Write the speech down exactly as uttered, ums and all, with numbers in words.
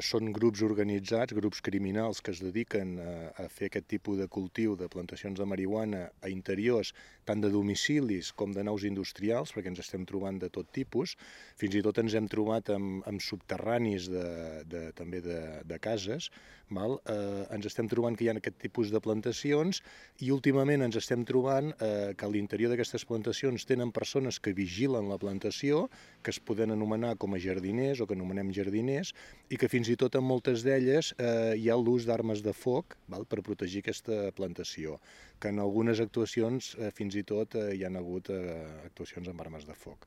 Són grups organitzats, grups criminals que es dediquen a, a fer aquest tipus de cultiu de plantacions de marihuana a interiors tant de domicilis com de naus industrials, perquè ens estem trobant de tot tipus. Fins i tot ens hem trobat amb, amb subterranis de, de, també de, de cases. Val? Eh, ens estem trobant que hi ha aquest tipus de plantacions i últimament ens estem trobant eh, que a l'interior d'aquestes plantacions tenen persones que vigilen la plantació, que es poden anomenar com a jardiners o que anomenem jardiners, i que fins i tot en moltes d'elles eh, hi ha l'ús d'armes de foc, val, per protegir aquesta plantació, que en algunes actuacions eh, fins i tot eh, hi ha hagut eh, actuacions amb armes de foc.